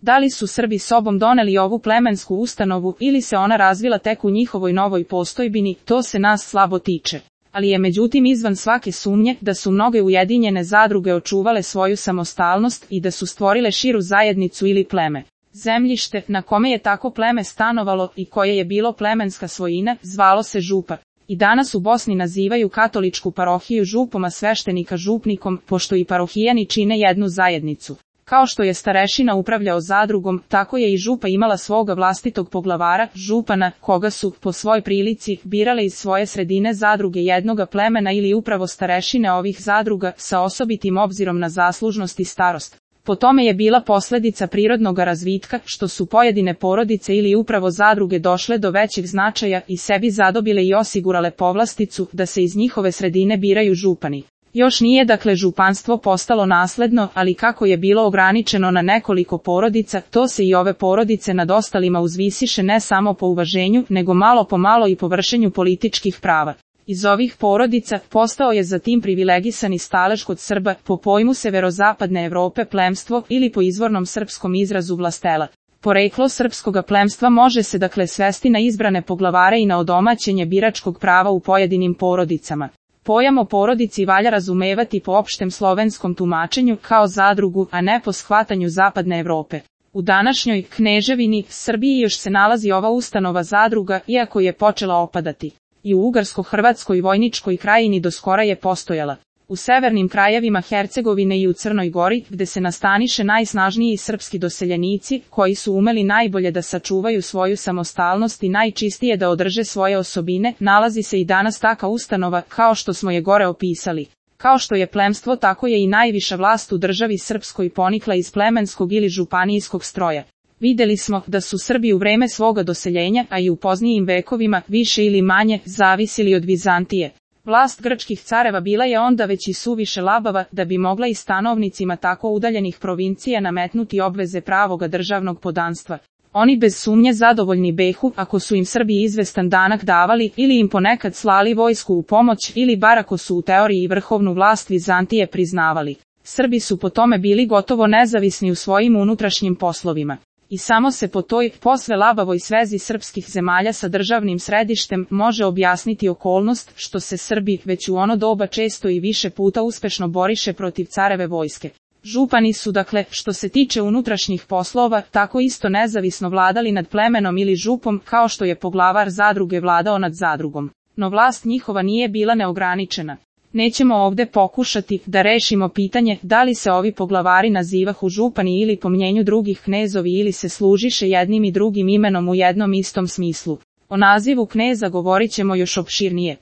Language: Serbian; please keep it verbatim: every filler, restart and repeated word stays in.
Da li su Srbi sobom doneli ovu plemensku ustanovu ili se ona razvila tek u njihovoj novoj postojbini, to se nas slabo tiče. Ali je međutim izvan svake sumnje da su mnoge ujedinjene zadruge očuvale svoju samostalnost i da su stvorile širu zajednicu ili pleme. Zemljište na kome je tako pleme stanovalo i koje je bilo plemenska svojina zvalo se župa. I danas u Bosni nazivaju katoličku parohiju župom, a sveštenika župnikom, pošto i parohijani čine jednu zajednicu. Kao što je starešina upravljao zadrugom, tako je i župa imala svoga vlastitog poglavara, župana, koga su, po svoj prilici, birale iz svoje sredine zadruge jednoga plemena ili upravo starešine ovih zadruga sa osobitim obzirom na zaslužnost i starost. Po tome je bila posledica prirodnog razvitka, što su pojedine porodice ili upravo zadruge došle do većeg značaja i sebi zadobile i osigurale povlasticu da se iz njihove sredine biraju župani. Još nije dakle županstvo postalo nasledno, ali kako je bilo ograničeno na nekoliko porodica, to se i ove porodice nad ostalima uzvisiše ne samo po uvaženju, nego malo po malo i po vršenju političkih prava. Iz ovih porodica postao je zatim privilegisani stalež kod Srba, po pojmu severozapadne Evrope plemstvo ili po izvornom srpskom izrazu vlastela. Poreklo srpskoga plemstva može se dakle svesti na izbrane poglavare i na odomaćenje biračkog prava u pojedinim porodicama. Pojam o porodici valja razumevati po opštem slovenskom tumačenju kao zadrugu, a ne po shvatanju zapadne Evrope. U današnjoj Kneževini Srbiji još se nalazi ova ustanova zadruga, iako je počela opadati. I u Ugarsko-Hrvatskoj vojničkoj krajini doskora je postojala. U severnim krajevima Hercegovine i u Crnoj Gori, gde se nastaniše najsnažniji srpski doseljenici, koji su umeli najbolje da sačuvaju svoju samostalnost i najčistije da održe svoje osobine, nalazi se i danas taka ustanova, kao što smo je gore opisali. Kao što je plemstvo, tako je i najviša vlast u državi srpskoj ponikla iz plemenskog ili županijskog stroja. Videli smo da su Srbi u vreme svoga doseljenja, a i u poznijim vekovima, više ili manje, zavisili od Vizantije. Vlast grčkih careva bila je onda već i suviše labava da bi mogla i stanovnicima tako udaljenih provincija nametnuti obveze pravoga državnog podanstva. Oni bez sumnje zadovoljni behu ako su im Srbi izvestan danak davali ili im ponekad slali vojsku u pomoć ili bar ako su u teoriji vrhovnu vlast Vizantije priznavali. Srbi su po tome bili gotovo nezavisni u svojim unutrašnjim poslovima. I samo se po toj posve labavoj svezi srpskih zemalja sa državnim središtem može objasniti okolnost što se Srbi već u ono doba često i više puta uspešno boriše protiv careve vojske. Župani su dakle, što se tiče unutrašnjih poslova, tako isto nezavisno vladali nad plemenom ili župom kao što je poglavar zadruge vladao nad zadrugom. No vlast njihova nije bila neograničena. Nećemo ovde pokušati da rešimo pitanje da li se ovi poglavari nazivahu župani ili po mnjenju drugih knezovi ili se služiše jednim i drugim imenom u jednom istom smislu. O nazivu kneza govorit ćemo još opširnije.